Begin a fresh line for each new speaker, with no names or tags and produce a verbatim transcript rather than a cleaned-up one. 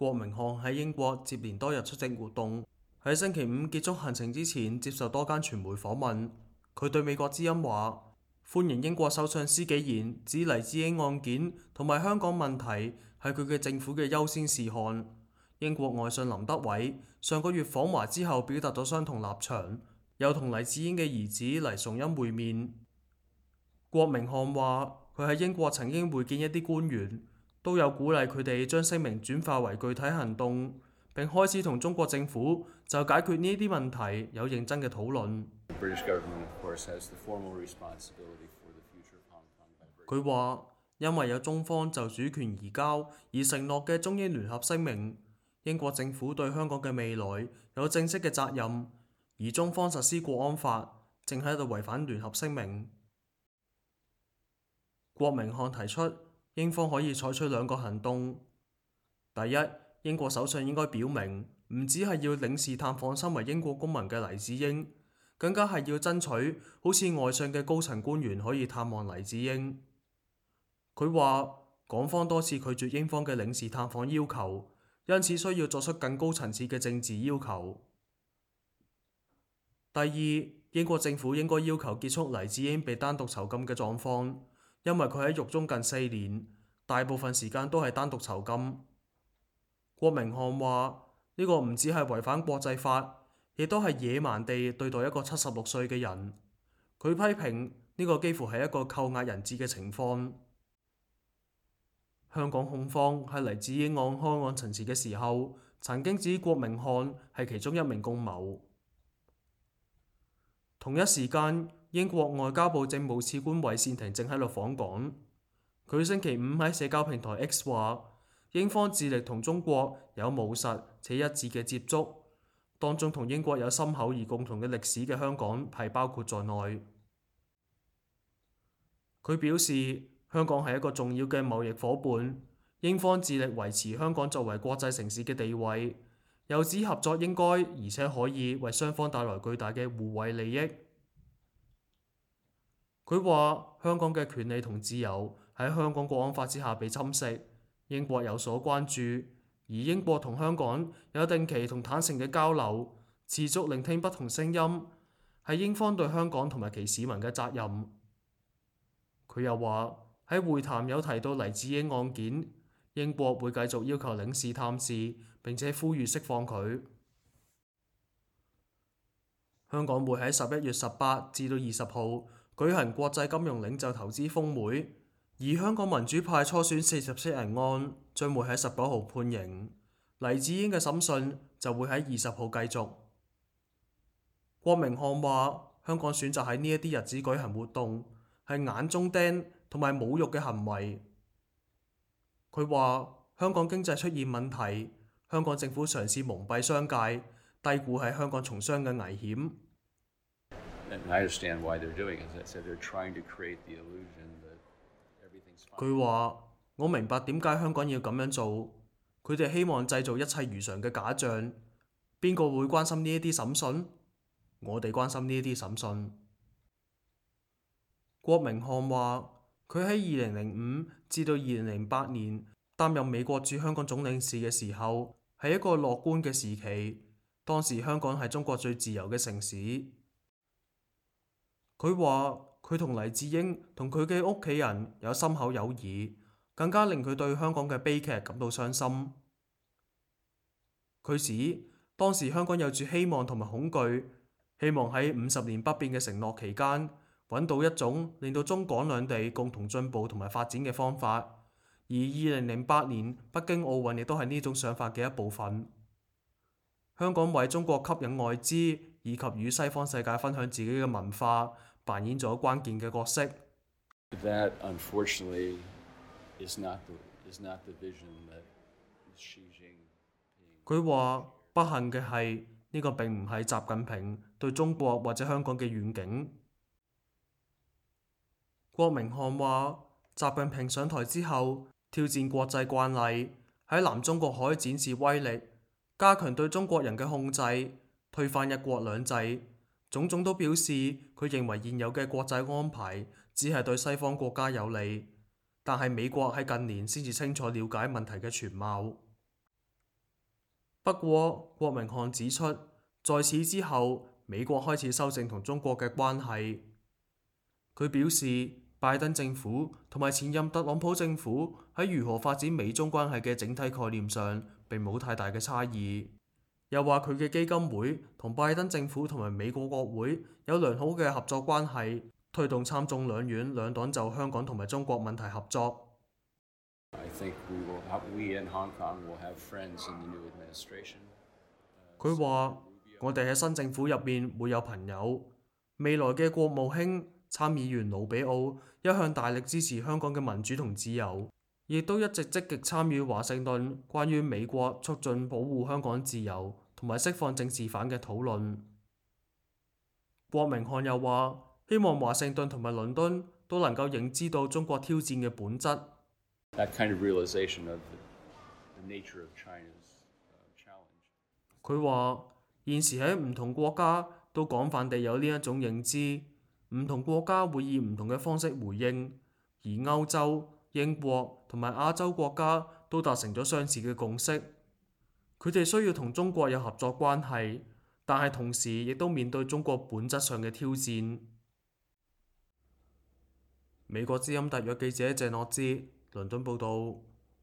郭明漢喺英國接連多日出席活動，喺星期五結束行程之前接受多間傳媒訪問。佢對美國之音話：歡迎英國首相施紀賢指黎智英案件同埋香港問題係佢嘅政府嘅優先事項。英國外相林德偉上個月訪華之後表達咗相同立場，又同黎智英嘅兒子黎崇恩會面。郭明漢話：佢喺英國曾經會見一啲官員，都有鼓勵佢哋將聲明轉化為具體行動，並開始同中國政府就解決呢啲問題有認真嘅討論。佢話：因為有中方就主權移交而承諾嘅中英聯合聲明，英國政府對香港嘅未來有正式嘅責任，而中方實施國安法正喺度違反聯合聲明。郭明漢提出，英方可以採取兩個行動。第一，英國首相應該表明，唔只係要領事探訪身為英國公民嘅黎智英，更加係要爭取好似外相嘅高層官員可以探望黎智英。佢話，港方多次拒絕英方嘅領事探訪要求，因此需要作出更高層次嘅政治要求。第二，英國政府應該要求結束黎智英被單獨囚禁嘅狀況，因為佢喺獄中近四年，大部分時間都係單獨囚禁。郭明漢話：呢個唔止係違反國際法，亦都係野蠻地對待一個七十六歲嘅人。佢批評呢個幾乎係一個扣押人質嘅情況。香港控方喺黎智英案開案陳詞嘅時候，曾經指郭明漢係其中一名共謀。同一時間，英國外交部政務次官韋善庭正喺度訪港。佢星期五喺社交平台 X 話，英方致力同中國有務實且一致嘅接觸，當中同英國有深厚而共同嘅歷史嘅香港係包括在內。佢表示，香港係一個重要嘅貿易夥伴，英方致力維持香港作為國際城市嘅地位，又指合作應該而且可以為雙方帶來巨大嘅互惠利益。佢話：香港嘅權利同自由喺香港國安法之下被侵蝕，英國有所關注，而英國同香港有定期同坦誠嘅交流，持續聆聽不同聲音，係英方對香港同埋其市民嘅責任。佢又話喺會談有提到黎智英案件，英國會繼續要求領事探視，並且呼籲釋放佢。香港會喺十一月十八至到二十號舉行國際金融領袖投資峰會，而香港民主派初選四十七人案將會喺十九號判刑，黎智英嘅審訊就會喺二十號繼續。郭明漢話：香港選擇喺呢一啲日子舉行活動，係眼中釘同埋侮辱嘅行為。佢話：香港經濟出現問題，香港政府嘗試蒙蔽商界，低估喺香港從商嘅危險。佢話：我明白點解香港要咁樣做，佢哋希望製造一切如常嘅假象。邊個會關心呢一啲審訊？我哋關心呢一啲審訊。郭明漢話：佢喺二零零五至到二零零八年擔任美國駐香港總領事嘅時候，係一個樂觀嘅時期。當時香港係中國最自由嘅城市。佢話佢同黎智英同佢嘅屋企人有深厚友誼，更加令佢對香港嘅悲劇感到傷心。佢指當時香港有住希望同埋恐懼，希望喺五十年不變嘅承諾期間揾到一種令到中港兩地共同進步同埋發展嘅方法。而二零零八年北京奧運亦都係呢種想法嘅一部分。香港為中國吸引外資以及與西方世界分享自己嘅文化，扮演咗關鍵嘅角色。
That, unfortunately, is not the, is not the vision that Xi Jinping...
佢話不幸嘅係呢個並唔係習近平對中國或者香港嘅願景。郭明漢話：習近平上台之後，挑戰國際慣例，喺南中國海展示威力，加強對中國人嘅控制，推翻一國兩制，種種都表示佢認為現有嘅國際安排只係對西方國家有利，但係美國喺近年先至清楚了解問題嘅全貌。不過，郭明漢指出，在此之後，美國開始修正同中國嘅關係。佢表示，拜登政府同埋前任特朗普政府喺如何發展美中關係嘅整體概念上並冇太大嘅差異。又話佢嘅基金會同拜登政府同埋美國國會有良好嘅合作關係，推動參眾兩院兩黨就香港同埋中國問題合作。佢話：我哋喺新政府入面會有朋友，未來嘅國務卿參議員盧比奧一向大力支持香港嘅民主同自由，亦都一直積極參與華盛頓關於美國促進保護香港自由同埋釋放政治犯嘅討論。郭明漢又話：希望華盛頓同埋倫敦都能夠認知到中國挑戰嘅本質。佢話：現時喺唔同國家都廣泛地有呢一種認知，唔同國家會以唔同嘅方式回應，而歐洲、英國同埋亞洲國家都達成咗相似嘅共識。佢哋需要同中國有合作關係，但係同時亦都面對中國本質上嘅挑戰。美國之音特約記者謝諾茲倫敦報導。